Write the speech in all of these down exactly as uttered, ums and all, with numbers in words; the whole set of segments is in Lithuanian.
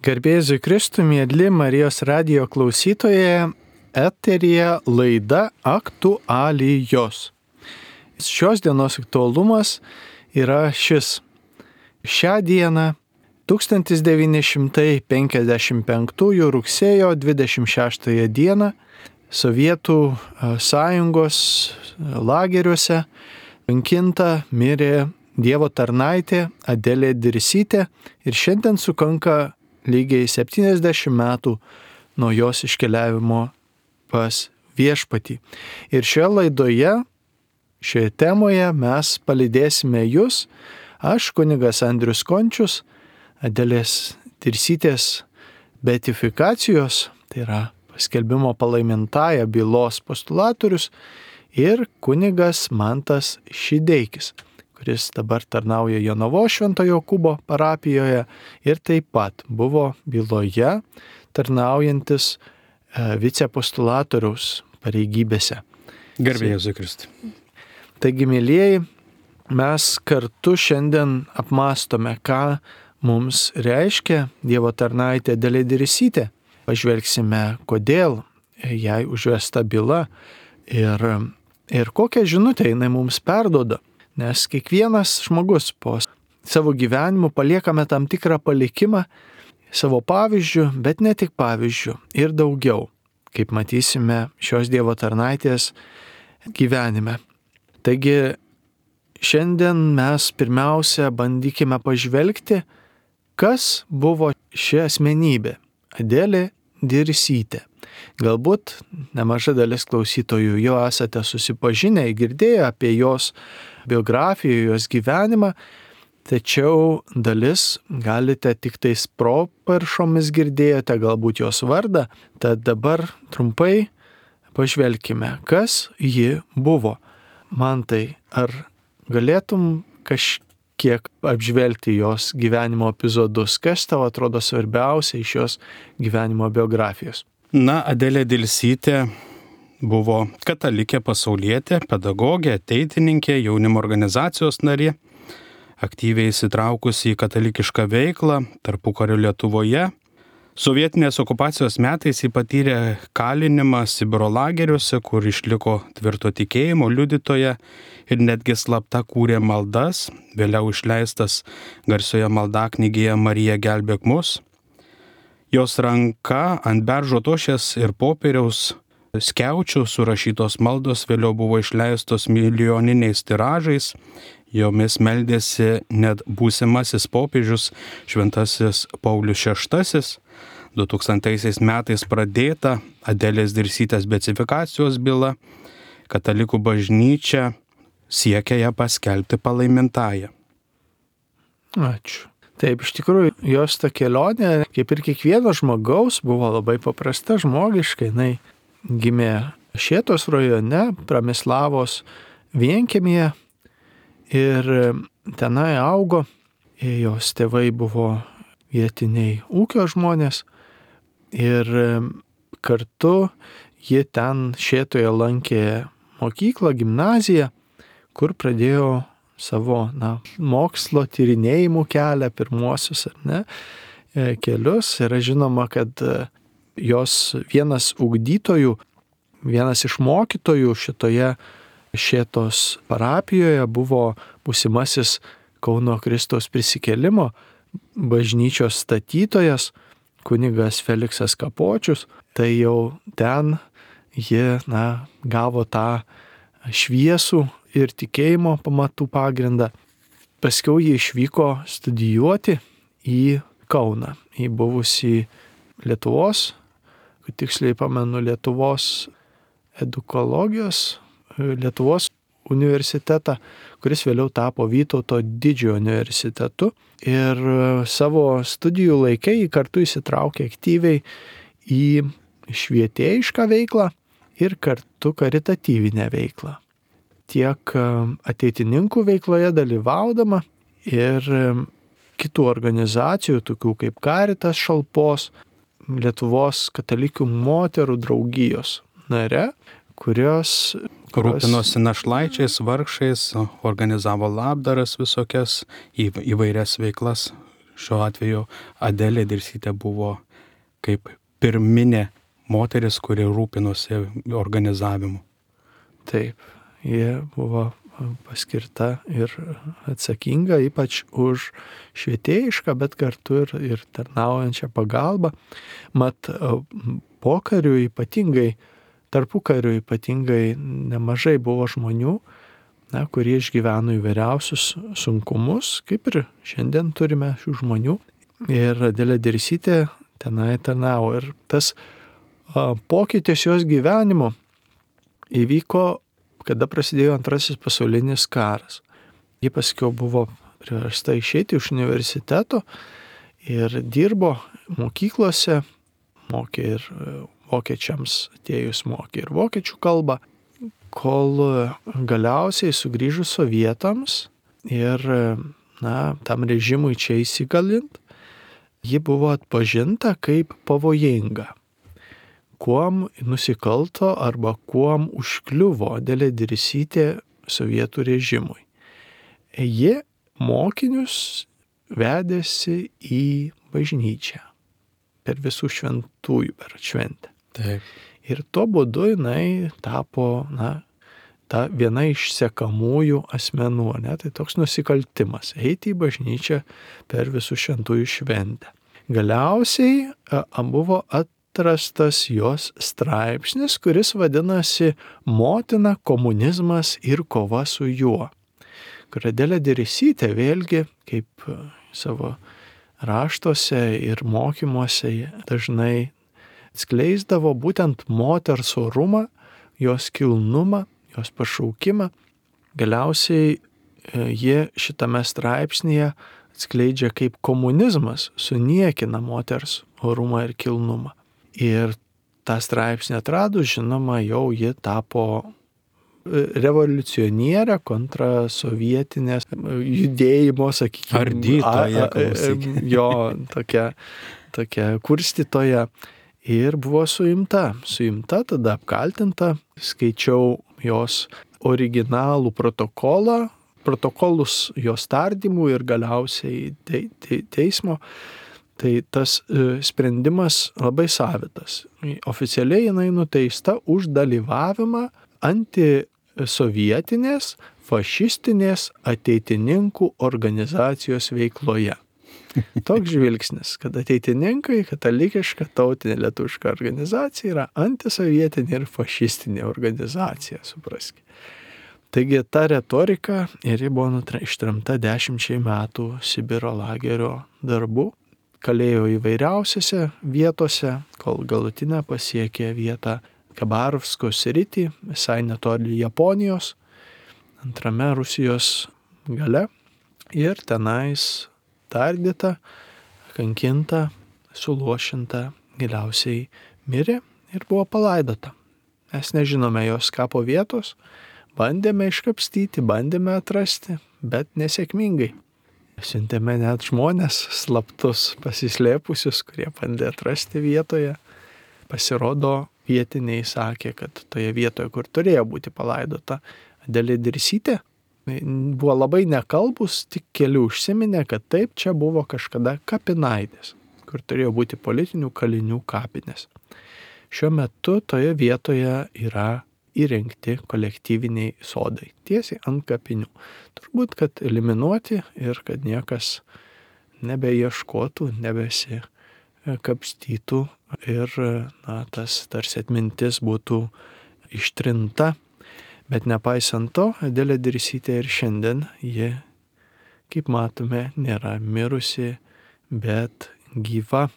Garbėzui Kristui, mėly Marijos radijo klausytojai, eteryje laida Aktualijos. Šios dienos aktualumas yra šis. Šią dieną, tūkstantis devyni šimtai penkiasdešimt penktųjų rugsėjo dvidešimt šeštąją dieną, Sovietų sąjungos lageriuose kankinta mirė Dievo tarnaitė Adelė Dirsytė ir šiandien sukanka lygiai septyniasdešimt metų nuo jos iškeliavimo pas viešpatį. Ir šioje laidoje, šioje temoje mes palydėsime jūs, aš kunigas Andrius Končius, Adelės Dirsytės beatifikacijos, tai yra paskelbimo palaimintąja bylos postulatorius, ir kunigas Mantas Šideikis, kuris dabar tarnauja Jonavos Švento Jokūbo parapijoje ir taip pat buvo byloje tarnaujantis vicepostulatoriaus pareigybėse. Garbė Jėzui Kristui. Taigi, mėlyjeji, mes kartu šiandien apmastome, ką mums reiškia Dievo tarnaitė Adelė Dirsytė. Pažvelgsime, kodėl jai užvesta byla ir, ir kokią žinutę jinai mums perduoda. Nes kiekvienas žmogus po savo gyvenimu paliekame tam tikrą palikimą savo pavyzdžių, bet ne tik pavyzdžių, ir daugiau, kaip matysime šios Dievo tarnaitės gyvenime. Taigi šiandien mes pirmiausia bandykime pažvelgti, kas buvo ši asmenybė, Adelė Dirsytė. Galbūt nemaža dalis klausytojų jau esate susipažinę, girdėję apie jos biografiją, jos gyvenimą, tačiau dalis galite tik tais properšomis girdėjote galbūt jos vardą. Tad dabar trumpai pažvelkime, kas ji buvo. Mantai, ar galėtum kažkiek kiek apžvelgti jos gyvenimo epizodus, kas tau atrodo svarbiausia iš jos gyvenimo biografijos? Na, Adelė Dirsytė buvo katalikė pasaulietė, pedagogė, ateitininkė, jaunimo organizacijos narė, aktyviai įsitraukusi į katalikišką veiklą tarpukario Lietuvoje. Sovietinės okupacijos metais jį patyrė kalinimą Sibiro lageriuose, kur išliko tvirto tikėjimo liudytoja ir netgi slapta kūrė maldas, vėliau išleistas garsioje maldaknygėje Marija gelbėk mus. Jos ranka ant beržo tošies ir popieriaus skiaučių surašytos maldos vėliau buvo išleistos milijoniniais tiražais, jomis meldėsi net būsimasis popiežius Šventasis Paulius šeštasis. du tūkstantaisiais metais pradėta Adelės Dirsytės beatifikacijos byla, katalikų bažnyčia siekia ją paskelbti palaimintąja. Ačiū. Taip, iš tikrųjų, jos ta kelionė, kaip ir kiekvieno žmogaus, buvo labai paprasta, žmogiška. Jinai gimė Šėtos rajone, Pramislavos vienkiemyje ir tenai augo. Jos tėvai buvo vietiniai ūkio žmonės ir kartu ji ten Šėtoje lankė mokyklą, gimnaziją, kur pradėjo savo na, mokslo tyrinėjimų kelią, pirmuosius ar ne, kelius. Yra žinoma, kad jos vienas ugdytojų, vienas iš mokytojų šitoje Šėtos parapijoje buvo būsimasis Kauno Kristaus prisikėlimo bažnyčios statytojas, kunigas Feliksas Kapočius. Tai jau ten ji na, gavo tą šviesų ir tikėjimo pamatų pagrindą. Paskiau ji išvyko studijuoti į Kauną, į buvusį Lietuvos, kad tiksliai pamenu, Lietuvos edukologijos, Lietuvos universitetą, kuris vėliau tapo Vytauto didžiojo universitetu. Ir savo studijų laikai jį kartu įsitraukė aktyviai į švietėjišką veiklą ir kartu karitatyvinę veiklą. Tiek ateitininkų veikloje dalyvaudama ir kitų organizacijų, tokių kaip Caritas Šalpos, Lietuvos katalikių moterų draugijos nare, kurios Rūpinosi našlaičiais, vargšais, organizavo labdaras visokias, įvairias veiklas šiuo atveju Adelė Dirsytė buvo kaip pirminė moteris, kuri rūpinosi organizavimu. Taip, jie buvo paskirta ir atsakinga ypač už švietėjišką, bet kartu ir, ir tarnaujančią pagalbą. Mat pokariu ypatingai, tarpukariu ypatingai nemažai buvo žmonių, na, kurie išgyveno įvairiausius sunkumus, kaip ir šiandien turime šių žmonių. Ir Adelė Dirsytė tenai tarnavo. Ir tas a, pokytis jos gyvenimo įvyko, kada prasidėjo antrasis pasaulinis karas. Ji paskiau buvo priversta išeiti iš universiteto ir dirbo mokyklose, mokė ir vokiečiams atėjus mokė ir vokiečių kalbą, kol galiausiai sugrįžus sovietams ir, na, tam režimui čia įsigalint, ji buvo atpažinta kaip pavojinga. Kuom nusikalto arba kuom užkliuvo Adelė Dirsytė sovietų režimui. Ji mokinius vedėsi į bažnyčią per visų šventųjų per šventę. Taip. Ir tuo būdu jinai tapo, na, ta viena iš sekamųjų asmenų, ne? Tai toks nusikaltimas – eiti į bažnyčią per visų šventųjų šventę. Galiausiai a, buvo atrastas jos straipsnis, kuris vadinasi Motina, komunizmas ir kova su juo. Kur Adelė Dirsytė vėlgi, kaip savo raštuose ir mokymuose dažnai skleisdavo būtent moters orumą, jos kilnumą, jos pašaukimą. Galiausiai jie šitame straipsnėje atskleidžia, kaip komunizmas suniekina moters orumą ir kilnumą. Ir tą straipsnį atradus, žinoma, jau ji tapo revoliucionierė kontra sovietinės judėjimo, sakykime, ardytoja, klausyk. Jo, tokia, tokia kurstytoja. Ir buvo suimta. Suimta, tada apkaltinta. Skaičiau jos originalų protokolą, protokolus jos tardymų ir galiausiai te, te, teismo. Tai tas e, sprendimas labai savitas. Oficialiai jinai nuteista už dalyvavimą antisovietinės, fašistinės ateitininkų organizacijos veikloje. Toks žvilgsnis, kad ateitininkai, katalikiška tautinė lietuviška organizacija yra antisovietinė ir fašistinė organizacija, supraskite. Taigi ta retorika ir ji buvo ištremta dešimčiai metų Sibiro lagerio darbų, kalėjo įvairiausiose vietose, kol galutinę pasiekė vietą Kabarovsko sritį, visai netoli Japonijos, antrame Rusijos gale, ir tenais tardyta, kankinta, suluošinta, galiausiai mirė ir buvo palaidota. Mes nežinome jos kapo vietos, bandėme iškapstyti, bandėme atrasti, bet nesėkmingai. Siuntėme net žmonės slaptus pasislėpusius, kurie bandė atrasti vietoje. Pasirodo, vietiniai sakė, kad toje vietoje, kur turėjo būti palaidota Adelė Dirsytė, buvo labai nekalbus, tik keli užsiminė, kad taip, čia buvo kažkada kapinaitės, kur turėjo būti politinių kalinių kapinės. Šiuo metu toje vietoje yra įrengti kolektyviniai sodai, tiesiai ant kapinių. Turbūt, kad eliminuoti ir kad niekas nebeieškotų, nebesikapstytų ir, na, tas tarsi atmintis būtų ištrinta. Bet nepaisant to, Adelė Dirsytė ir šiandien ji, kaip matome, nėra mirusi, bet gyva.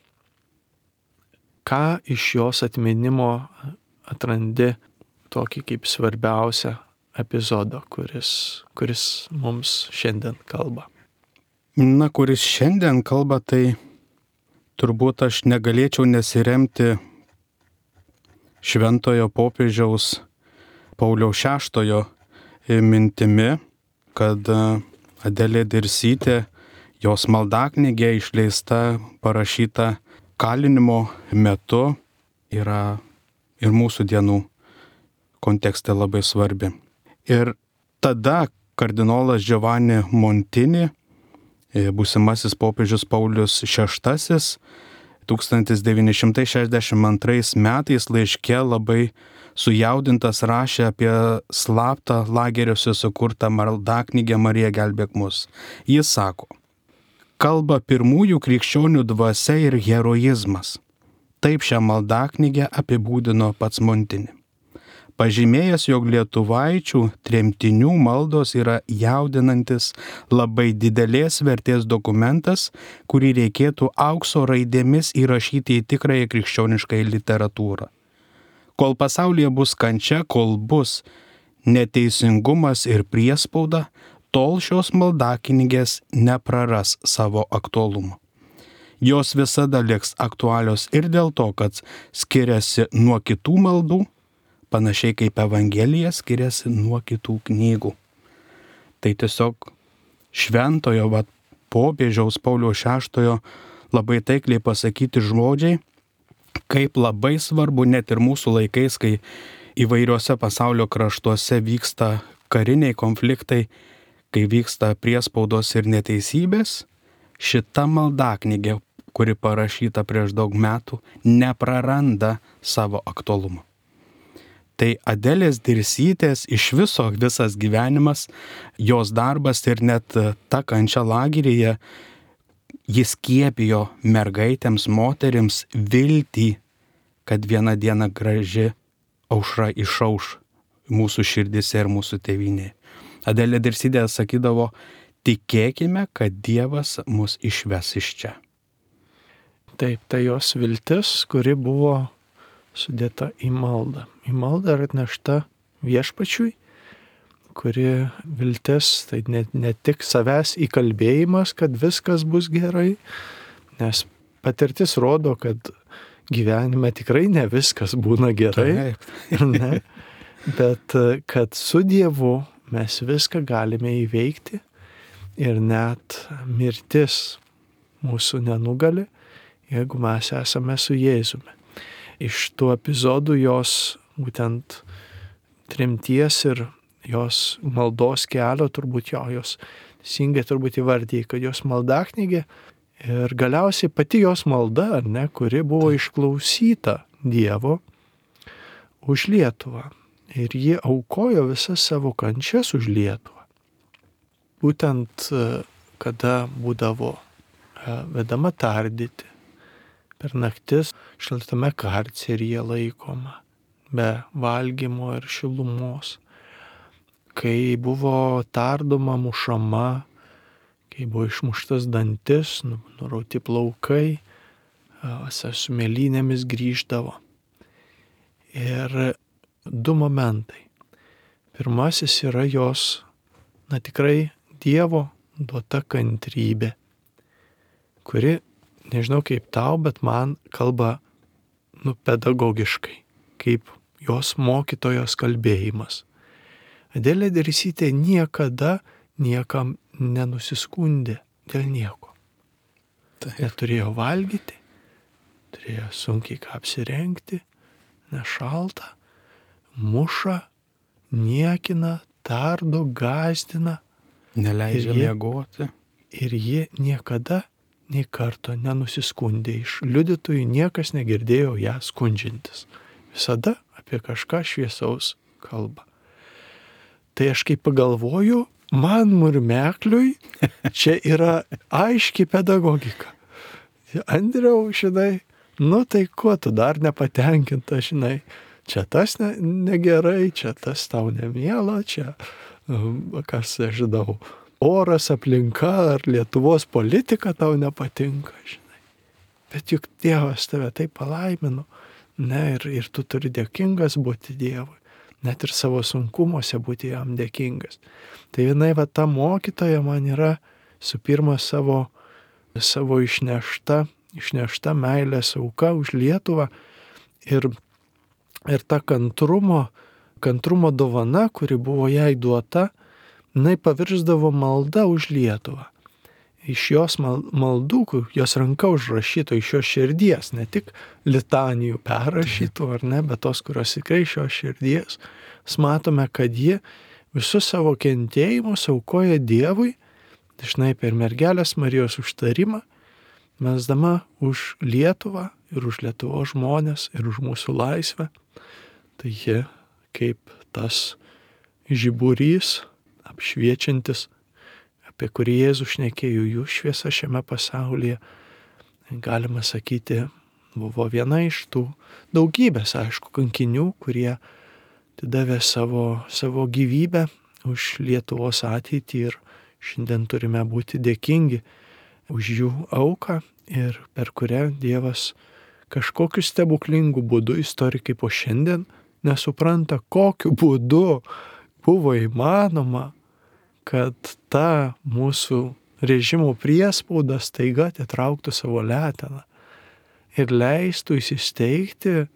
Ką iš jos atminimo atrandi tokį kaip svarbiausią epizodą, kuris, kuris mums šiandien kalba? Na, kuris šiandien kalba, tai turbūt aš negalėčiau nesiremti šventojo popiežiaus Pauliaus šeštojo mintimi, kad Adelė Dirsytė, jos maldaknygė išleista, parašyta kalinimo metu, yra ir mūsų dienų kontekste labai svarbi. Ir tada kardinolas Giovanni Montini būsimasis popiežius Paulius šeštasis tūkstantis devyni šimtai šešiasdešimt antrais metais laiške labai sujaudintas rašė apie slaptą lageriuose sukurtą maldaknygę Marija gelbėk mus. Jis sako, kalba pirmųjų krikščionių dvasia ir heroizmas. Taip šią maldaknygę apibūdino pats Montini. Pažymėjęs, jog lietuvaičių tremtinių maldos yra jaudinantis labai didelės vertės dokumentas, kurį reikėtų aukso raidėmis įrašyti į tikrąją krikščionišką literatūrą. Kol pasaulyje bus kančia, kol bus neteisingumas ir priespauda, tol šios maldaknygės nepraras savo aktualumo. Jos visada liks aktualios ir dėl to, kad skiriasi nuo kitų maldų, panašiai kaip Evangelija skiriasi nuo kitų knygų. Tai tiesiog šventojo va, popiežiaus Pauliaus šeštojo labai taikliai pasakyti žodžiai, kaip labai svarbu net ir mūsų laikais, kai įvairiuose pasaulio kraštuose vyksta kariniai konfliktai, kai vyksta priespaudos ir neteisybės, šita maldaknygė, kuri parašyta prieš daug metų, nepraranda savo aktualumo. Tai Adelės Dirsytės iš viso visas gyvenimas, jos darbas ir net ta kančia lageryje, jis skiepijo mergaitėms, moterims viltį, kad vieną dieną graži aušra išauš mūsų širdise ir mūsų tėvynėje. Adelė Dirsytė sakydavo, tikėkime, kad Dievas mus išves iš čia. Taip, tai jos viltis, kuri buvo sudėta į maldą. Į maldą atnešta viešpačiui, kuri viltis, tai ne, ne tik savęs įkalbėjimas, kad viskas bus gerai, nes patirtis rodo, kad gyvenime tikrai ne viskas būna gerai, ne, bet kad su Dievu mes viską galime įveikti ir net mirtis mūsų nenugali, jeigu mes esame su Jėzumi. Iš tų epizodų jos būtent tremties ir jos maldos kelio turbūt jo, jos teisingai turbūt įvardyja, kad jos maldaknygė ir galiausiai pati jos malda, ar ne, kuri buvo išklausyta Dievo už Lietuvą. Ir ji aukojo visas savo kančias už Lietuvą. Būtent kada būdavo vedama tardyti, per naktis šaltame karceryje laikoma, be valgymo ir šilumos, kai buvo tardoma, mušama, kai buvo išmuštas dantis, nurauti plaukai, su mėlynėmis grįždavo. Ir du momentai. Pirmasis yra jos, na tikrai Dievo duota kantrybė, kuri, nežinau kaip tau, bet man kalba nu, pedagogiškai, kaip jos mokytojos kalbėjimas. Adelė Dirsytė niekada niekam nenusiskundė dėl nieko. Jie turėjo valgyti, turėjo sunkiai ką apsirengti, nešalta, muša, niekina, tardo, gąsdina. Neleidžia miegoti. Ir ji niekada nei karto nenusiskundė. Iš liudytojų niekas negirdėjo ją skundžiantis. Visada apie kažką šviesaus kalba. Tai aš kaip pagalvoju, man murmekliui čia yra aiški pedagogika. Andriau, žinai, nu tai kuo tu dar nepatenkinta, žinai, čia tas ne, negerai, čia tas tau nemiela, čia, kas aš žinau, oras, aplinka ar Lietuvos politika tau nepatinka, žinai. Bet juk Dievas tave taip palaimino, ne, ir, ir tu turi dėkingas būti Dievui, net ir savo sunkumuose būti jam dėkingas. Tai vienai va ta mokytoja man yra su pirma savo, savo išnešta, išnešta meilės auka už Lietuvą ir, ir ta kantrumo, kantrumo dovana, kuri buvo jai duota, jinai pavirsdavo malda už Lietuvą. Iš jos maldų, jos ranka užrašyto, iš jos širdies, ne tik litanijų perrašytų, ar ne, bet tos, kurios tikrai iš jos širdies, mes matome, kad ji visus savo kentėjimus aukoja Dievui dažnai per mergelės Marijos užtarimą, melsdama už Lietuvą ir už Lietuvos žmonės ir už mūsų laisvę. Tai ji kaip tas žiburys apšviečiantis, apie kurį Jėzus šnekėjo, jų šviesa šiame pasaulyje, galima sakyti, buvo viena iš tų daugybės, aišku, kankinių, kurie atidavė savo, savo gyvybę už Lietuvos ateitį ir šiandien turime būti dėkingi už jų auką ir per kurią Dievas kažkokiu stebuklingu būdu, istorikai po šiandien nesupranta, kokiu būdu buvo įmanoma, kad ta mūsų režimo priespauda staiga atitrauktų savo leteną ir leistų įsisteigti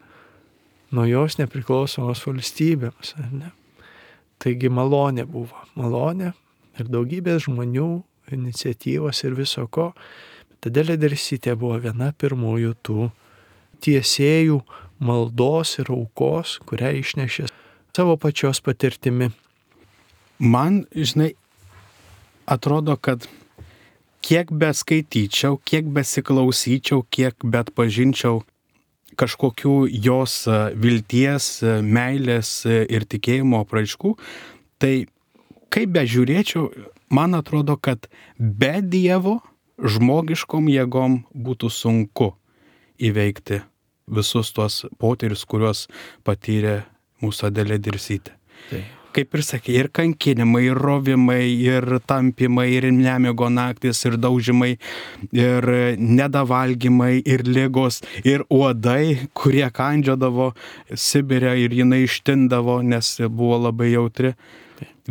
naujos nepriklausomos valstybėms. Ne? Taigi malonė buvo, malonė ir daugybės žmonių iniciatyvos ir viso ko. Adelė Dirsytė buvo viena pirmųjų tų tiesėjų maldos ir aukos, kurią išnešė savo pačios patirtimi. Man, žinai, atrodo, kad kiek beskaityčiau, kiek besiklausyčiau, kiek bet pažinčiau kažkokių jos vilties, meilės ir tikėjimo apraiškų, tai kaip bežiūrėčiau, man atrodo, kad be Dievo žmogiškom jėgom būtų sunku įveikti visus tuos potyrius, kuriuos patyrė mūsų Adelė Dirsytė. Tai. Kaip ir sakė, ir kankinimai, ir rovimai, ir tampimai, ir nemiego naktis, ir daužimai, ir nedavalgymai, ir ligos, ir uodai, kurie kandžiodavo Sibire ir jinai ištindavo, nes buvo labai jautri.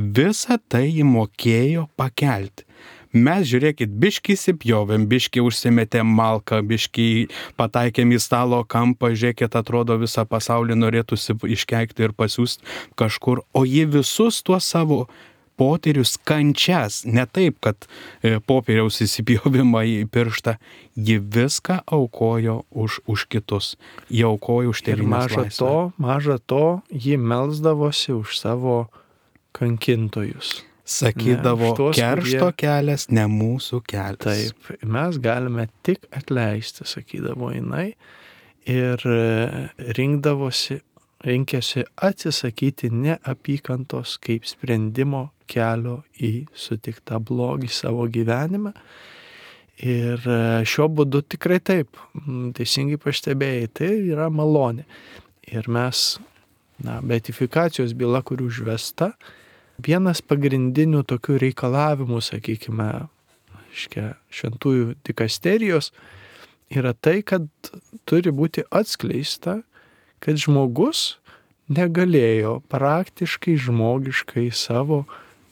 Visą tai jį mokėjo pakelti. Mes, žiūrėkit, biškį įsipjovėm, biškį užsimetėm malką, biškį pataikėm į stalo kampą, žiūrėkit, atrodo visą pasaulį norėtųsi iškeikti ir pasiūsti kažkur, o ji visus tuos savo potyrius, kančias, ne taip, kad popieriaus įsipjovimą į pirštą, ji viską aukojo už, už kitus, ji aukojo už tėvynės laisvę. Maža to, maža to, ji melsdavosi už savo kankintojus. Sakydavo, ne, štos, keršto kurie... kelias, ne mūsų kelias. Taip, mes galime tik atleisti, sakydavo jinai, ir rinkdavosi, rinkėsi atsisakyti neapykantos kaip sprendimo kelio į sutiktą blogį savo gyvenime. Ir šiuo būdu tikrai taip, teisingai pastebėjai, tai yra malonė. Ir mes, na, beatifikacijos byla, kuri užvesta, vienas pagrindinių tokių reikalavimų, sakykime, šventųjų dikasterijos yra tai, kad turi būti atskleista, kad žmogus negalėjo praktiškai žmogiškai savo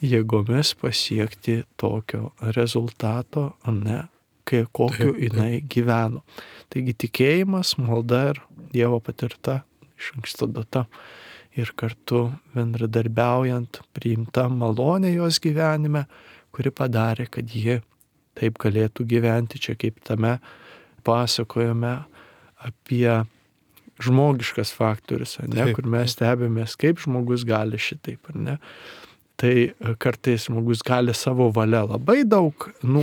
jėgomis pasiekti tokio rezultato, ne, kai kokiu jinai gyveno. Taigi tikėjimas, malda ir Dievo patirta iš anksto data. Ir kartu bendradarbiaujant priimta malonė jos gyvenime, kuri padarė, kad ji taip galėtų gyventi čia, kaip tame pasakojame apie žmogiškas faktorius, ne, kur mes stebimės, kaip žmogus gali šitaip, ar ne. Tai kartais žmogus gali savo valia labai daug, nu,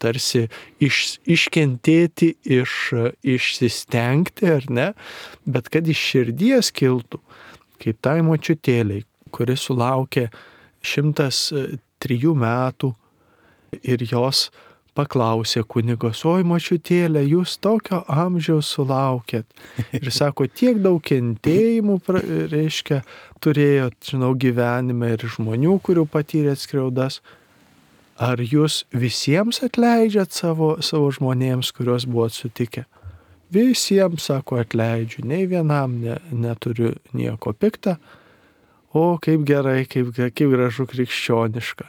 tarsi iš, iškentėti, iš, išsistengti, ar ne, bet kad iš širdies kiltų, kaip tai močiutėliai, kuris sulaukė šimtas trijų metų ir jos paklausė kunigos, oi močiutėlė, jūs tokio amžiaus sulaukėt. Ir sako, tiek daug kentėjimų, reiškia, turėjot, žinau, gyvenime ir žmonių, kurių patyrėt skriaudas. Ar jūs visiems atleidžiat savo, savo žmonėms, kuriuos buvot sutikę? Visiems, sako, atleidžiu, nei vienam ne, neturiu nieko pikta, o kaip gerai, kaip, kaip gražu krikščioniška.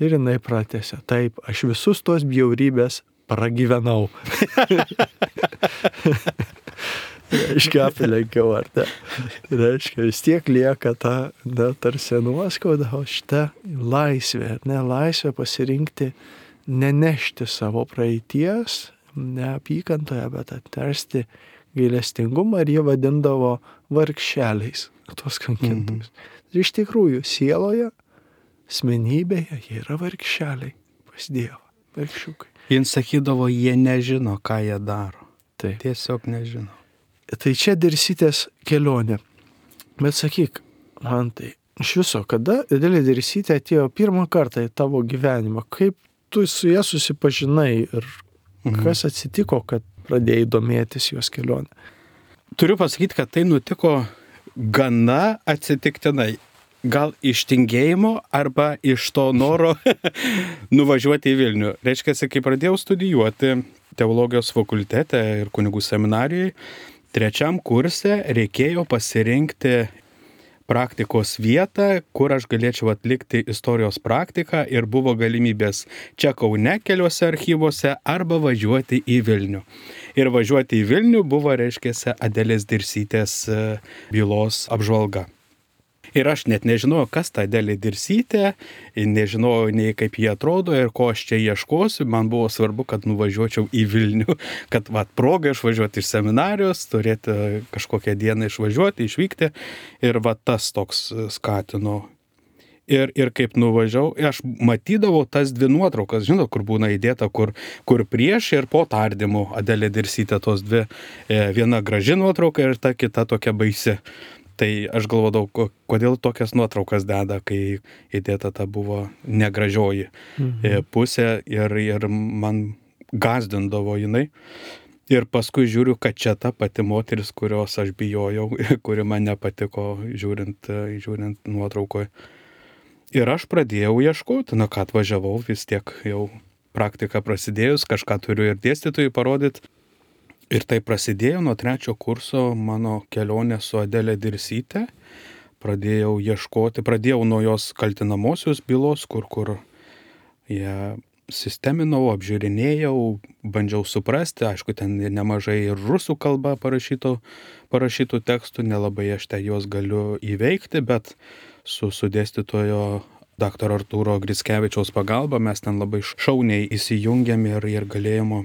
Ir jinai pratęsė, taip, aš visus tos bjaurybės pragyvenau. Reiškia, aplenkiau, ar ne? Reiškia, vis tiek lieka ta, ne, tarsi nuoskauda, o šita laisvė, ne, laisvė pasirinkti, nenešti savo praeities, neapykantoje, bet atversti gailestingumą, ir jie vadindavo vargšeliais tuos kankintojus. Mm-hmm. Iš tikrųjų, sieloje, asmenybėje jie yra vargšeliai. pas Dievą. Vargšiukai. Jis sakydavo, jie nežino, ką jie daro. Taip. Tiesiog nežino. Tai čia Dirsytės kelionė. Bet sakyk, man tai iš viso, kada Adelė Dirsytė atėjo pirmą kartą į tavo gyvenimą? Kaip tu su ja susipažinai ir mhm. kas atsitiko, kad pradėjai domėtis jos kelionę? Turiu pasakyti, kad tai nutiko gana atsitiktinai. Gal iš tingėjimo arba iš to noro nuvažiuoti į Vilnių. Reiškia, kai pradėjau studijuoti teologijos fakultete ir kunigų seminarijoje, trečiam kurse reikėjo pasirinkti praktikos vietą, kur aš galėčiau atlikti istorijos praktiką ir buvo galimybės čia Kaune keliuose archyvuose arba važiuoti į Vilnių. Ir važiuoti į Vilnių buvo, reiškia, Adelės Dirsytės bylos apžvalga. Ir aš net nežinojau, kas ta Adelė Dirsytė, nežinojau nei kaip jie atrodo ir ko aš čia ieškosiu. Man buvo svarbu, kad nuvažiuočiau į Vilnių, kad vat proga išvažiuoti iš seminarijos, turėti kažkokią dieną išvažiuoti, išvykti. Ir vat tas toks skatino. Ir, ir kaip nuvažiavau, aš matydavau tas dvi nuotraukas, žinot, kur būna įdėta, kur, kur prieš ir po tardymų Adelė Dirsytė, tos dvi, viena graži nuotrauka ir ta kita tokia baisi. Tai aš galvodavau, kodėl tokias nuotraukas deda, kai įdėta ta buvo negražioji mhm. pusė ir, ir man gazdindavo jinai. Ir paskui žiūriu, kad čia ta pati moteris, kurios aš bijojau, kuri man nepatiko žiūrint, žiūrint nuotraukoje. Ir aš pradėjau ieškoti, na ką atvažiavau, vis tiek jau praktika prasidėjus, kažką turiu ir dėstytojui parodyti. Ir tai prasidėjo nuo trečio kurso mano kelionė su Adelė Dirsytė. Pradėjau ieškoti, pradėjau nuo jos kaltinamosios bylos, kur, kur ją sisteminau, apžiūrinėjau, bandžiau suprasti. Aišku, ten nemažai ir rusų kalba parašytų, parašytų tekstų, nelabai aš ten juos galiu įveikti, bet su, su dėstytojo daktaro Artūro Grickevičiaus pagalba mes ten labai šauniai įsijungėm ir, ir galėjome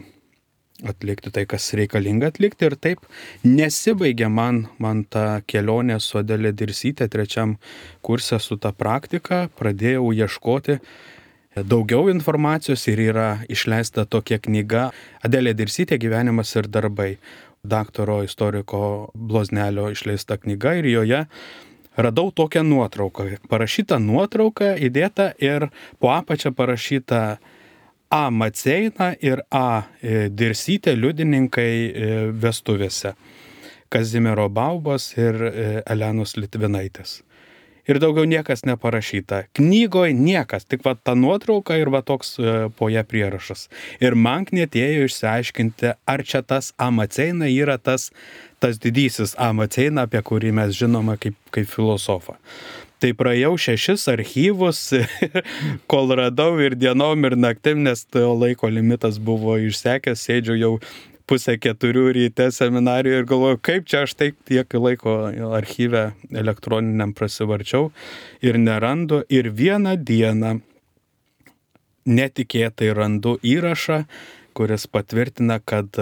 atlikti tai, kas reikalinga atlikti. Ir taip nesibaigė man, man ta kelionė su Adelė Dirsytė trečiam kurse su ta praktika. Pradėjau ieškoti daugiau informacijos ir yra išleista tokia knyga Adelė Dirsytė gyvenimas ir darbai. Daktaro istoriko Bloznelio išleista knyga ir joje radau tokią nuotrauką. Parašyta nuotrauka įdėta ir po apačią parašyta A. Maceina ir A. Dirsytė liudininkai vestuvėse. Kazimiero Baubos ir Elenos Litvinaitės. Ir daugiau niekas neparašyta. Knygoje niekas, tik va ta nuotrauka ir va toks po ją prierašas. Ir man knietėjo išsiaiškinti, ar čia tas A. Maceina yra tas, tas didysis A. Maceina, apie kurį mes žinome kaip, kaip filosofą. Tai praėjau šešis archyvus, kol radau ir dienom, ir naktim, nes laiko limitas buvo išsekęs, sėdžiu jau pusę keturių ryte seminarijoje ir galvoju, kaip čia aš taip tiek laiko archyve elektroniniam prasivarčiau ir nerandu. Ir vieną dieną netikėtai randu įrašą, kuris patvirtina, kad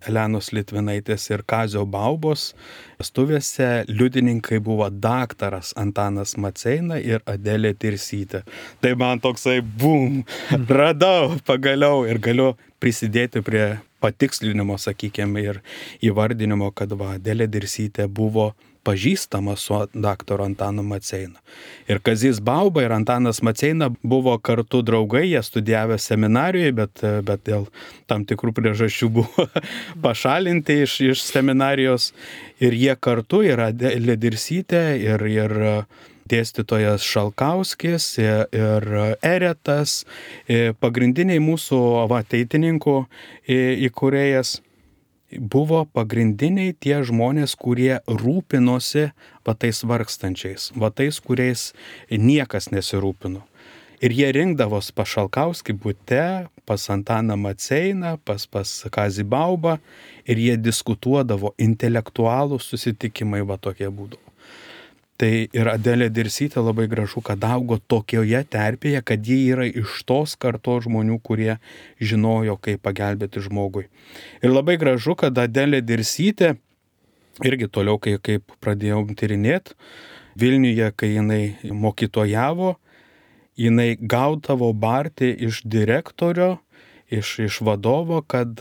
Elenos Litvinaitės ir Kazio Baubos vestuvėse liudininkai buvo daktaras Antanas Maceina ir Adelė Dirsytė. Tai man toksai bum, radau pagaliau ir galiu prisidėti prie patikslinimo, sakykime, ir įvardinimo, kad va, Adelė Dirsytė buvo pažįstama su daktaru Antanu Maceina. Ir Kazys Bauba ir Antanas Maceina buvo kartu draugai, jie studijavę seminarijoje, bet, bet dėl tam tikrų priežasčių buvo pašalinti iš, iš seminarijos. Ir jie kartu yra Adelė Dirsytė ir, ir dėstytojas Šalkauskis ir Eretas, pagrindiniai mūsų va, ateitininkų įkūrėjas. Buvo pagrindiniai tie žmonės, kurie rūpinosi va tais vargstančiais, va tais, kuriais niekas nesirūpino. Ir jie rinkdavos pas Šalkauskį bute, pas Antaną Maceiną, pas, pas Kazį Baubą ir jie diskutuodavo, intelektualų susitikimai va tokie būdavo. Tai ir Adelė Dirsytė labai gražu, kad augo tokioje terpėje, kad ji yra iš tos kartos žmonių, kurie žinojo, kaip pagelbėti žmogui. Ir labai gražu, kad Adelė Dirsytė, irgi toliau, kai, kaip pradėjau tyrinėti, Vilniuje, kai jinai mokytojavo, jinai gaudavo barti iš direktorio, iš, iš vadovo, kad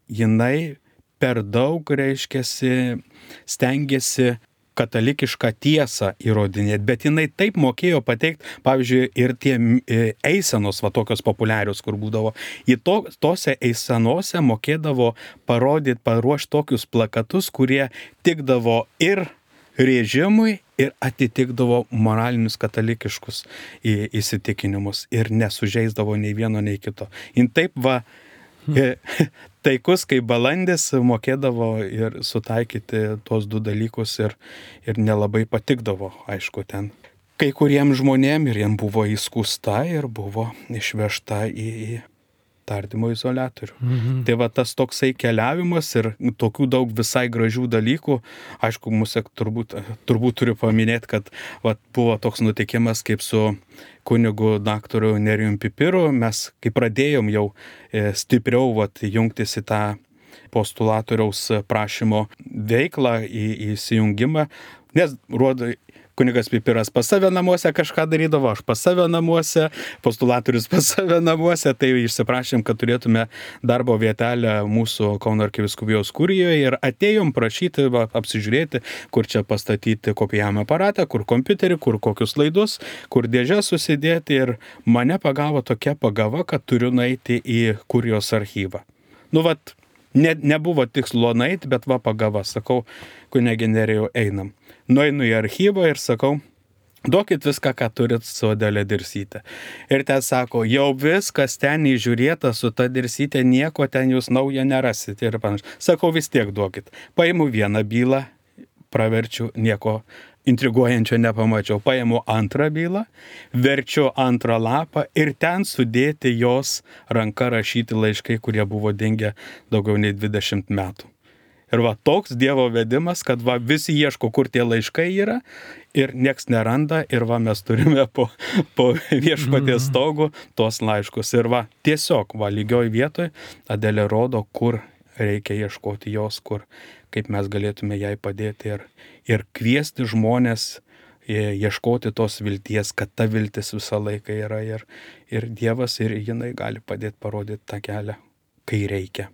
jinai per daug, reiškiasi, stengiasi katalikišką tiesą įrodinėti, bet jinai taip mokėjo pateikti, pavyzdžiui, ir tie eisenos, va tokios populiarios, kur būdavo, į to, tose eisenose mokėdavo parodyti, paruošti tokius plakatus, kurie tikdavo ir režimui, ir atitikdavo moralinius katalikiškus įsitikinimus ir nesužeisdavo nei vieno, nei kito. Jin taip va, taikus kaip balandis mokėdavo ir sutaikyti tos du dalykus ir, ir nelabai patikdavo, aišku, ten kai kuriems žmonėm ir jiem buvo įskūsta ir buvo išvežta į, į tardymo izoliatorių. Mhm. Tai va tas toksai keliavimas ir tokių daug visai gražių dalykų, aišku, mūsų turbūt, turbūt turiu paminėti, kad va, buvo toks nutikimas kaip su kunigu daktaru Nerijum Pipiru, mes kai pradėjom jau stipriau va, jungtis į tą postulatoriaus prašymo veiklą, į, į įsijungimą, nes rodo, kunigas Pipiras pas save namuose kažką darydavo, aš pas save namuose, postulatorius pas save namuose, tai išsiprašėm, kad turėtume darbo vietelę mūsų Kauno arkivyskupijos kurijoje ir atėjom prašyti, va, apsižiūrėti, kur čia pastatyti kopijavimo aparatą, kur kompiuterį, kur kokius laidus, kur dėžę susidėti ir mane pagavo tokia pagava, kad turiu nueiti į kurijos archyvą. Nu, vat, ne, nebuvo tikslo nueiti, bet va pagava, sakau, kunigė Nerijau, einam. Nueinu į archyvą ir sakau, duokit viską, ką turit su Adelė Dirsyte. Ir ten sako, jau viskas ten įžiūrėta su ta Dirsyte, nieko ten jūs naujo nerasit ir panašiai. Sakau, vis tiek duokit. Paimu vieną bylą, praverčiu, nieko intriguojančio nepamačiau. Paimu antrą bylą, verčiu antrą lapą ir ten sudėti jos ranka rašyti laiškai, kurie buvo dingę daugiau nei dvidešimt metų. Ir va toks Dievo vedimas, kad va visi ieško, kur tie laiškai yra ir nieks neranda ir va mes turime po, po viešpaties stogu tos laiškus. Ir va tiesiog va lygioj vietoj Adelė rodo, kur reikia ieškoti jos, kur, kaip mes galėtume jai padėti ir, ir kviesti žmonės ieškoti tos vilties, kad ta viltis visą laiką yra ir, ir Dievas ir jinai gali padėti parodyti tą kelią, kai reikia.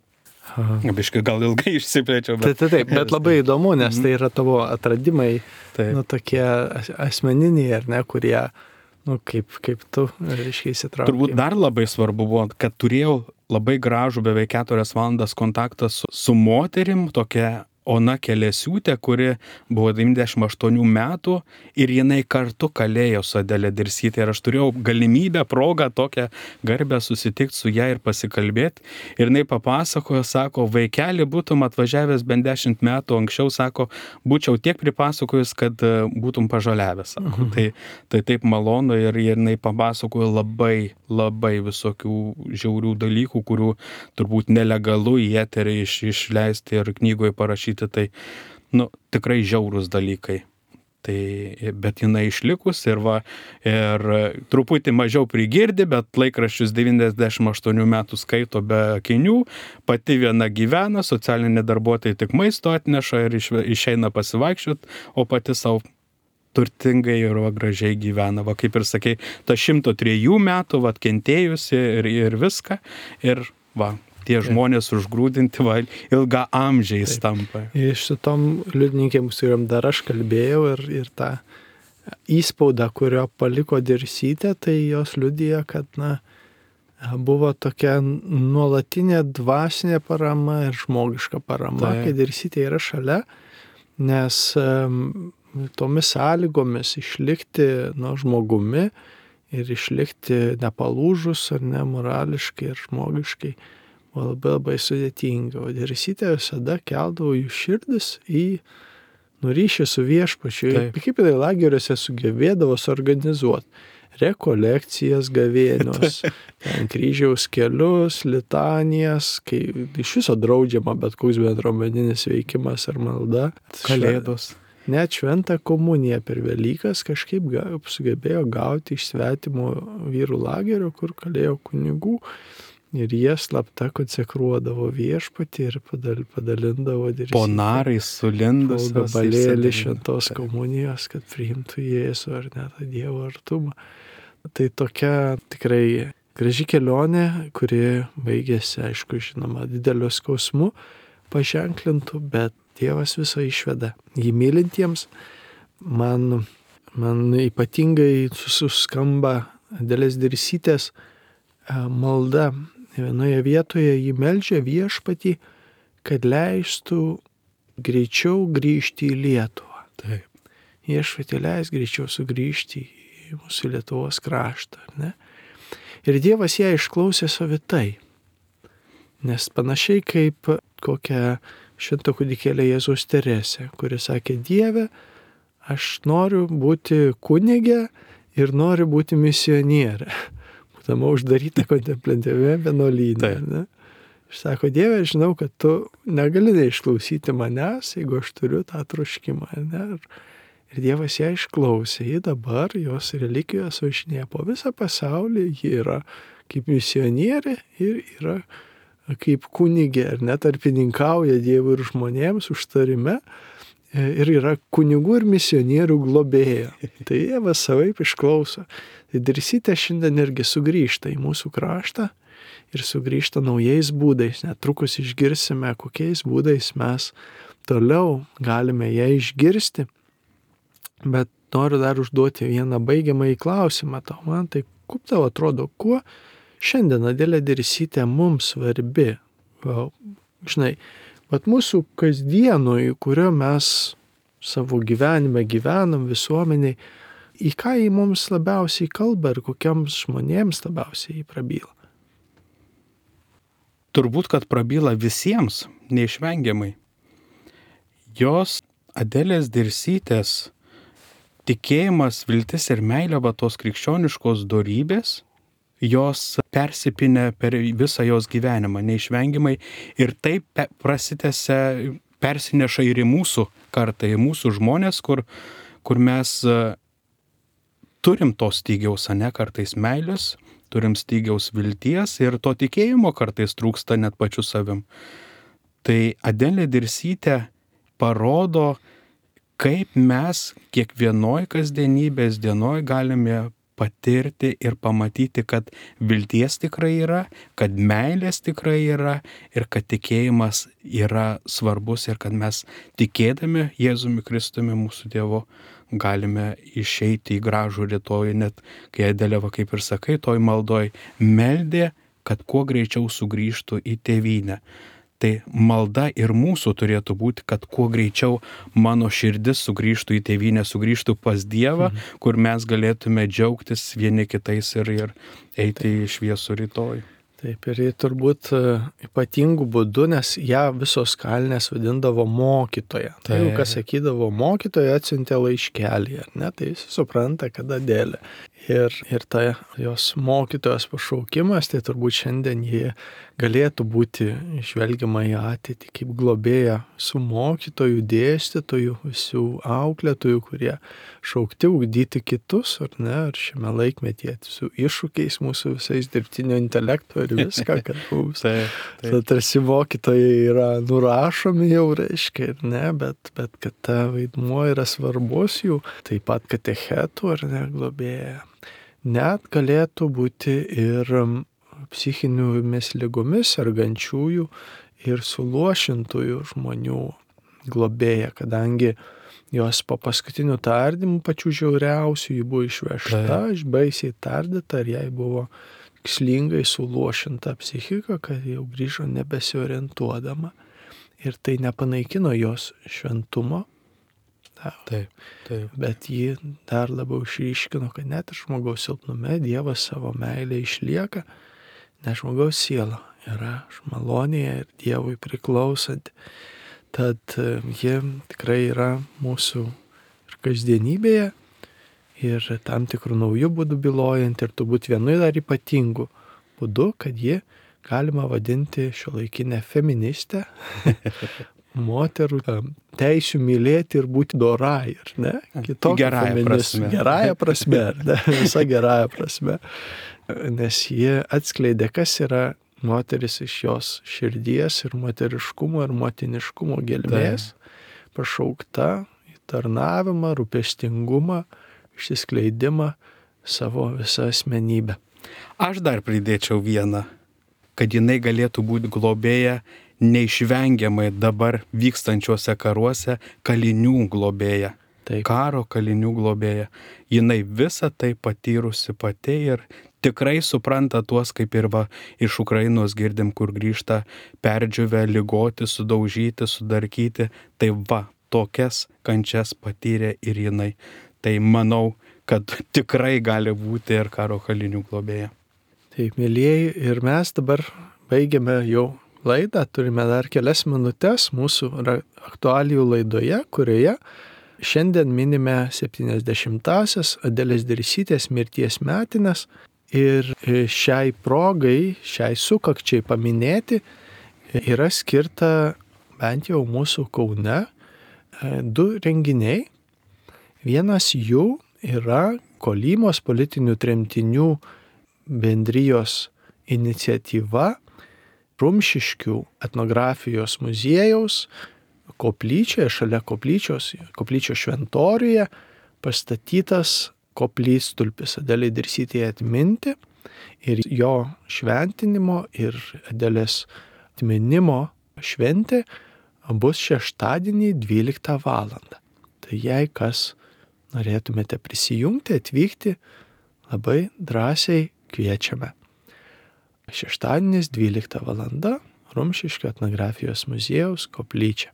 Biškai gal ilgai išsiplėčiau. Bet... Taip, taip, taip, bet labai įdomu, nes tai yra tavo atradimai, taip. Nu, tokie asmeniniai, ar ne, kurie, nu, kaip, kaip tu, reiškia, įsitraukai. Turbūt dar labai svarbu buvo, kad turėjau labai gražų beveik keturias valandas kontaktą su, su moterim, tokia Ona Kelesiūtė, kuri buvo devyniasdešimt aštuonių metų ir jinai kartu kalėjo su Adelė Dirsyte. Ir aš turėjau galimybę, progą, tokią garbę susitikti su ją ir pasikalbėti. Ir jinai papasakojo, sako, vaikeli būtum atvažiavęs bent dešimt metų anksčiau, sako, būčiau tiek pripasakojus, kad būtum pažaliavęs. Sako. Mhm. Tai, tai taip malonu ir jinai papasakojo labai, labai visokių žiaurių dalykų, kurių turbūt nelegalu į eterį iš, išleisti ir knygoje parašyti. Tai, nu, tikrai žiaurūs dalykai. Tai, bet jinai išlikus ir va, ir truputį mažiau prigirdi, bet laikraščius devyniasdešimt aštuonių metų skaito be akinių, pati viena gyvena, socialinė darbuotojai tik maisto atneša ir išeina pasivaikščioti, o pati savo turtingai ir va, gražiai gyvena. Va, kaip ir sakei, ta šimto trejų metų, va, kentėjusi ir, ir viską. Ir va, tie žmonės užgrūdinti, va, ilga amžiais tampa. Iš šitom liudininkėms, kuriam dar aš kalbėjau ir, ir tą įspaudą, kurio paliko Dirsytė, tai jos liudija, kad, na, buvo tokia nuolatinė dvasinė parama ir žmogiška parama, tai. Kai Dirsytė yra šalia, nes um, tomis sąlygomis išlikti, nu, žmogumi ir išlikti nepalūžus ar ne morališkai ir žmogiškai buvo labai labai sudėtinga. O Dirsytė visada keldavo jų širdis į nuryšį su viešpačiu. Kaip tai lageriuose sugebėdavo suorganizuoti rekolekcijas gavėnios, ten kryžiaus kelius, litanijas, kai iš viso draudžiama bet koks bendruomeninis veikimas ar malda. Kalėdos. Net šventą komuniją per Velykas kažkaip sugebėjo gauti iš svetimo vyrų lagerio, kur kalėjo kunigų. Ir jie slapta konsekruodavo viešpatį ir padal, padalindavo Dirsytę. Po narais sulindus. Gabalėlį šventos komunijos, kad priimtų Jėzų ar net Dievo artumą. Tai tokia tikrai graži kelionė, kuri baigėsi, aišku, žinoma, dideliu skausmu paženklintų, bet Dievas visą išveda. Jį mylintiems man, man ypatingai suskamba Adelės Dirsytės malda. Vienoje vietoje jį meldžia Viešpatį, kad leistų greičiau grįžti į Lietuvą. Taip. Viešpatį leis greičiau sugrįžti į mūsų Lietuvos kraštą. Ne? Ir Dievas ją išklausė savitai. Nes panašiai kaip kokią švento kūdikėlio Jėzaus Teresę, kuri sakė: Dieve, aš noriu būti kunigė ir noriu būti misionierė. Būdama uždaryta kontemplatyviame vienuolyne. Ne? Aš sako: Dieve, žinau, kad tu negali neišklausyti manęs, jeigu aš turiu tą troškimą. Ne? Ir Dievas ją išklausė. Ji dabar, jos relikvijos važinėja po visą pasaulį. Ji yra kaip misionierė ir yra kaip kunigė, ar netarpininkauja Dievui ir žmonėms užtarime. Ir yra kunigų ir misionierių globėja. Tai Dievas savaip išklauso. Tai Dirsytė šiandien irgi sugrįžta į mūsų kraštą ir sugrįžta naujais būdais. Netrukus išgirsime, kokiais būdais mes toliau galime ją išgirsti. Bet noriu dar užduoti vieną baigiamąjį klausimą tau. Man tai kaip tau atrodo, kuo šiandien Adelė Dirsytė mums svarbi? Žinai, bet mūsų kasdienui, kurio mes savo gyvenime gyvenam, visuomeniai, į ką jį mums labiausiai kalba ir kokiams žmonėms labiausiai jį prabyla? Turbūt, kad prabyla visiems, neišvengiamai. Jos, Adelės Dirsytės, tikėjimas, viltis ir meilė, va tos krikščioniškos dorybės, jos persipinę per visą jos gyvenimą, neišvengiamai, ir taip prasitęsia, persineša ir į mūsų kartą, į mūsų žmonės, kur, kur mes turim to stygiaus, ane, kartais meilės, turim stygiaus vilties ir to tikėjimo kartais trūksta net pačiu savim. Tai Adelė Dirsytė parodo, kaip mes kiekvienoj kasdienybės dienoj galime patirti ir pamatyti, kad vilties tikrai yra, kad meilės tikrai yra ir kad tikėjimas yra svarbus ir kad mes tikėdami Jėzumi Kristumi, mūsų Dievu, galime išeiti į gražų rytojų, net kai Adelė, kaip ir sakai, toj maldoj meldė, kad kuo greičiau sugrįžtų į tėvynę. Tai malda ir mūsų turėtų būti, kad kuo greičiau mano širdis sugrįžtų į tėvynę, sugrįžtų pas Dievą, mhm. kur mes galėtume džiaugtis vieni kitais ir, ir eiti į šviesų rytojų. Taip, ir jie turbūt ypatingų būdų, nes ją visos kalnės vadindavo mokytoja. Tai jau kas sakydavo, mokytoja atsiuntė laiškelį, ar ne, tai jis supranta, kad Adelė. Ir, ir ta jos mokytojos pašaukimas, tai turbūt šiandien jie galėtų būti žvelgiama į ateitį kaip globėja su mokytojų, dėstytojų, visų auklėtojų, kurie šaukti ugdyti kitus, ar ne, ar šiame laikmetyje su iššūkiais mūsų visais dirbtinio intelekto ir viską, kad mums taip, taip. Tarsi mokytojai yra nurašomi jau, reiškia, ir ne, bet, bet kad ta vaidmuo yra svarbus jų, taip pat katechetų, ar ne, globėja. Net galėtų būti ir psichinėmis ligomis sergančiųjų ir suluošintųjų žmonių globėja, kadangi jos po paskutinių tardymų pačių žiauriausių ji buvo išvežta, baisiai tardyta ir jai buvo tikslingai suluošinta psichika, kad jau grįžo nebesiorientuodama ir tai nepanaikino jos šventumo. Taip, taip. Bet ji dar labiau išryškino, kad net ir žmogaus silpnume Dievas savo meilę išlieka, nes žmogaus siela yra malonėje ir Dievui priklausanti. Tad ji tikrai yra mūsų ir kasdienybėje ir tam tikrų naujų būdų bylojanti ir turbūt vienu dar ypatingu būdu, kad ji galima vadinti šiuolaikinę feministę, moterų teisių mylėti ir būti dorai, ar ne? Kitokia gerąją prasme. Gerąją prasme, ar ne? Visa gerąją prasme. Nes jie atskleidė, kas yra moteris iš jos širdies ir moteriškumo ir motiniškumo gelmės, pašaukta į tarnavimą, rūpestingumą, išsiskleidimą savo visą asmenybę. Aš dar pridėčiau vieną, kad jinai galėtų būti globėja neišvengiamai dabar vykstančiuose karuose kalinių globėja. Taip. Karo kalinių globėja. Jinai visą tai patyrusi pati ir tikrai supranta tuos, kaip ir va iš Ukrainos girdim, kur grįžta perdžiuvę, ligoti, sudaužyti, sudarkyti. Tai va, tokias kančias patyrė ir jinai. Tai manau, kad tikrai gali būti ir karo kalinių globėja. Taip, mėlyjeji, ir mes dabar baigiame jau laidą, turime dar kelias minutės mūsų aktualijų laidoje, kurioje šiandien minime septyniasdešimtąsias Adelės Dirsytės mirties metines ir šiai progai, šiai sukakčiai paminėti yra skirta bent jau mūsų Kaune du renginiai. Vienas jų yra Kolymos politinių tremtinių bendrijos iniciatyva Rumšiškių etnografijos muziejaus koplyčioje, šalia koplyčios, koplyčios šventoriuje pastatytas koplytstulpis Adelei Dirsytei atminti ir jo šventinimo ir Adelės atminimo šventė bus šeštadienį dvyliktą valandą. Tai jei kas norėtumėte prisijungti, atvykti, labai drąsiai kviečiame. Šeštadienis dvylikta valanda Rumšiškių etnografijos muziejaus koplyčia.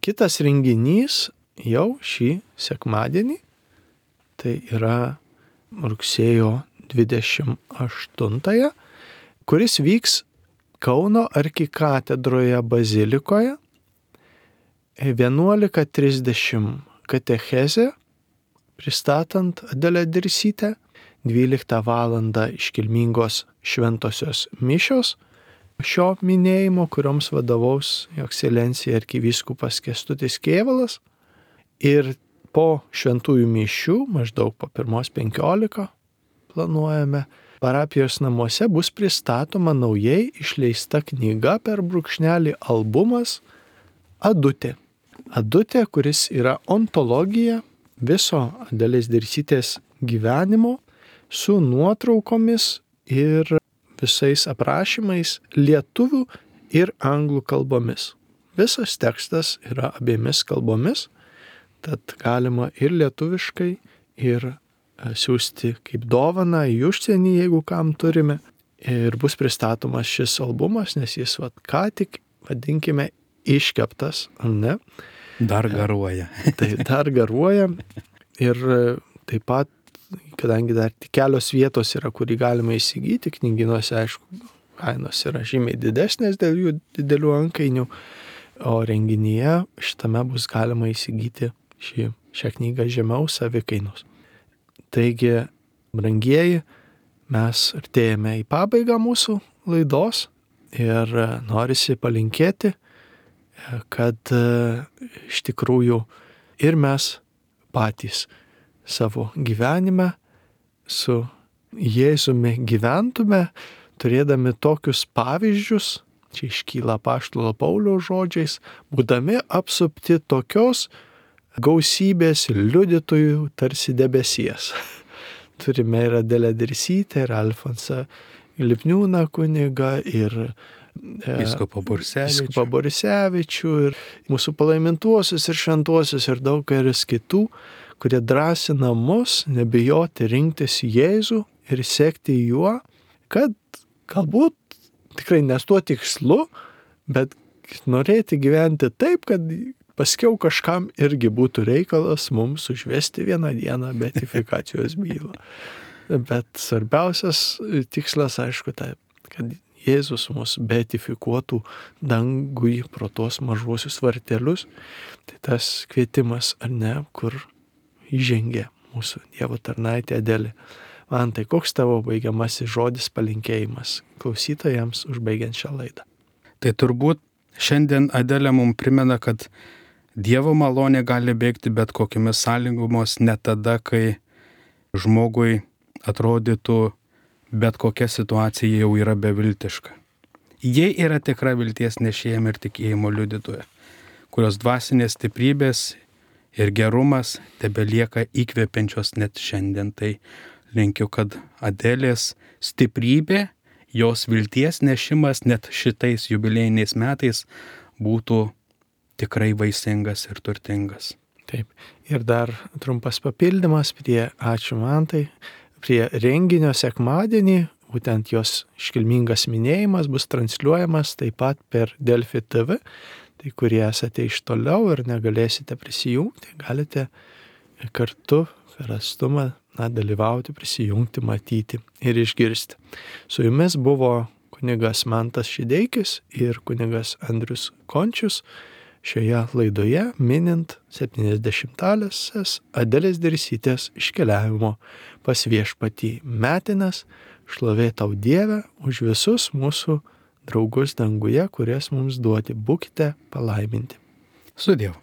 Kitas renginys jau šį sekmadienį, tai yra rugsėjo dvidešimt aštuntąją, kuris vyks Kauno arkikatedroje bazilikoje, vienuolika trisdešimt katechezė, pristatant Adelę Dirsytę, dvyliktą valandą iškilmingos šventosios mišios šio minėjimo, kurioms vadovaus Jo ekscelencija arkivyskupas Kęstutis Kėvalas. Ir po šventųjų mišių, maždaug po pirmos penkiolika, planuojame, parapijos namuose bus pristatoma naujai išleista knyga per brūkšnelį albumas Adutė. Adutė, kuris yra ontologija viso Adelės Dirsytės gyvenimo su nuotraukomis ir visais aprašymais lietuvių ir anglų kalbomis. Visas tekstas yra abiemis kalbomis, tad galima ir lietuviškai, ir siūsti kaip dovaną į užsienį, jeigu kam turime. Ir bus pristatomas šis albumas, nes jis vat, ką tik, vadinkime, iškeptas, ar ne? Dar garuoja. Tai dar garuoja. Ir taip pat, kadangi dar tik kelios vietos yra, kurį galima įsigyti, knygynuose, aišku, kainos yra žymiai didesnės dėl jų didelių antkainių, o renginyje šitame bus galima įsigyti šį, šią knygą žemiau savikainos. Taigi, brangieji, mes artėjame į pabaigą mūsų laidos ir norisi palinkėti, kad iš tikrųjų ir mes patys savo gyvenime su Jėzumi gyventume, turėdami tokius pavyzdžius, čia iškyla apaštalo Pauliaus žodžiais, būdami apsupti tokios gausybės liudytojų tarsi debesies. Turime ir Adelę Dirsytę, ir Alfonsą Lipniūną kunigą, ir Vyskupą Borisevičių. Borisevičių, ir mūsų palaimintuosius ir šventuosius, ir daug kelis kitų, kurie drąsina mus nebijoti rinktis Jėzų ir sekti juo, kad galbūt tikrai nes tuo tikslu, bet norėti gyventi taip, kad paskiau kažkam irgi būtų reikalas mums užvesti vieną dieną beatifikacijos bylą. Bet svarbiausias tikslas, aišku, tai, kad Jėzus mus beatifikuotų dangui pro tos mažuosius vartelius. Tai tas kvietimas, ar ne, kur įžengė mūsų Dievo tarnaitė Adelė. Man tai koks tavo baigiamasis žodis, palinkėjimas klausytojams užbaigiant šią laidą? Tai turbūt šiandien Adelė mums primena, kad Dievo malonė gali bėgti bet kokiamis sąlygomis, ne tada, kai žmogui atrodytų bet kokia situacija jau yra beviltiška. Jie yra tikra vilties nešėjami ir tikėjimo liudytoja, kurios dvasinės stiprybės ir gerumas tebelieka įkvepiančios net šiandien. Tai linkiu, kad Adelės stiprybė, jos vilties nešimas net šitais jubiliejiniais metais būtų tikrai vaisingas ir turtingas. Taip. Ir dar trumpas papildymas prie ačiū Mantai, prie renginio sekmadienį, būtent jos iškilmingas minėjimas bus transliuojamas taip pat per Delfi T V. Tai kurie esate iš toliau ir negalėsite prisijungti, galite kartu per atstumą na, dalyvauti, prisijungti, matyti ir išgirsti. Su jumis buvo kunigas Mantas Šideikis ir kunigas Andrius Končius šioje laidoje minint septyniasdešimtąsias Adelės Dirsytės iškeliavimo pas Viešpatį metines. Šlovė tau Dieve už visus mūsų draugus danguje, kurias mums duoti. Būkite palaiminti. Sudiev.